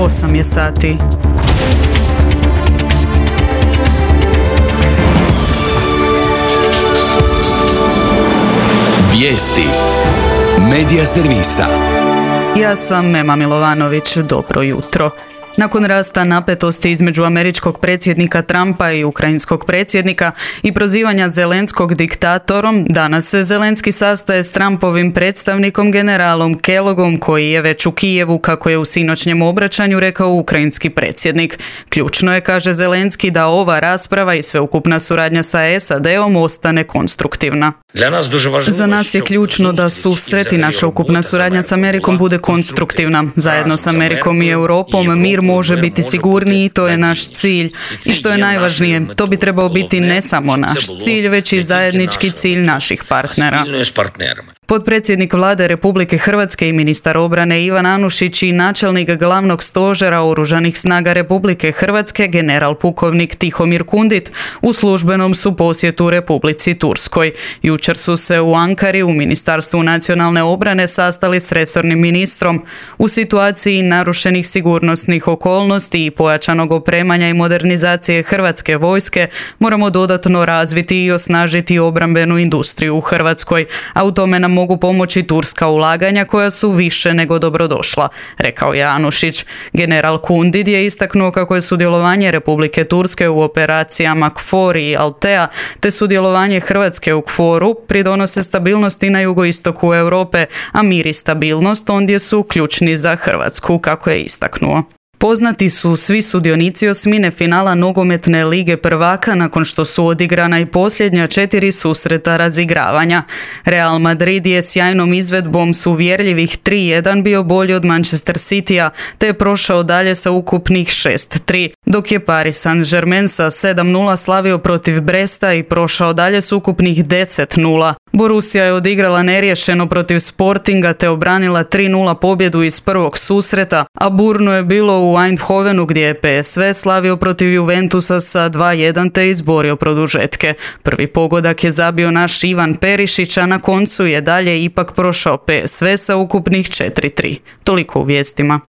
8 je sati. Vijesti Medija servisa. Ja sam Mema Milovanović, dobro jutro. Nakon rasta napetosti između američkog predsjednika Trumpa i ukrajinskog predsjednika i prozivanja Zelenskog diktatorom, danas se Zelenski sastaje s Trumpovim predstavnikom generalom Kellogom, koji je već u Kijevu, kako je u sinoćnjem obraćanju rekao ukrajinski predsjednik. Ključno je, kaže Zelenski, da ova rasprava i sveukupna suradnja sa SAD-om ostane konstruktivna. Za nas je ključno da susret i naša ukupna suradnja s Amerikom bude konstruktivna. Zajedno s Amerikom i Europom mir može biti sigurniji i to je naš cilj. I što je najvažnije, to bi trebao biti ne samo naš cilj, već i zajednički cilj naših partnera. Potpredsjednik Vlade Republike Hrvatske i ministar obrane Ivan Anušić i načelnik glavnog stožera Oružanih snaga Republike Hrvatske general pukovnik Tihomir Kundit u službenom su posjetu Republici Turskoj. Jučer su se u Ankari u Ministarstvu nacionalne obrane sastali s resornim ministrom. U situaciji narušenih sigurnosnih okolnosti i pojačanog opremanja i modernizacije Hrvatske vojske moramo dodatno razviti i osnažiti obrambenu industriju u Hrvatskoj, a u tome nam mogu pomoći turska ulaganja koja su više nego dobrodošla, rekao je Anušić. General Kundit je istaknuo kako je sudjelovanje Republike Turske u operacijama KFOR i Altea te sudjelovanje Hrvatske u KFOR-u pridonose stabilnosti na jugoistoku Europe, a mir i stabilnost ondje su ključni za Hrvatsku, kako je istaknuo. Poznati su svi sudionici osmine finala nogometne lige prvaka nakon što su odigrana i posljednja 4 susreta razigravanja. Real Madrid je sjajnom izvedbom s uvjerljivih 3-1 bio bolji od Manchester Citya, te je prošao dalje sa ukupnih 6-3, dok je Paris Saint-Germain sa 7-0 slavio protiv Bresta i prošao dalje s ukupnih 10-0. Borussia je odigrala neriješeno protiv Sportinga te obranila 3-0 pobjedu iz prvog susreta, a burno je bilo u Eindhovenu gdje je PSV slavio protiv Juventusa sa 2-1 te izborio produžetke. Prvi pogodak je zabio naš Ivan Perišić, a na koncu je dalje ipak prošao PSV sa ukupnih 4-3. Toliko u vijestima.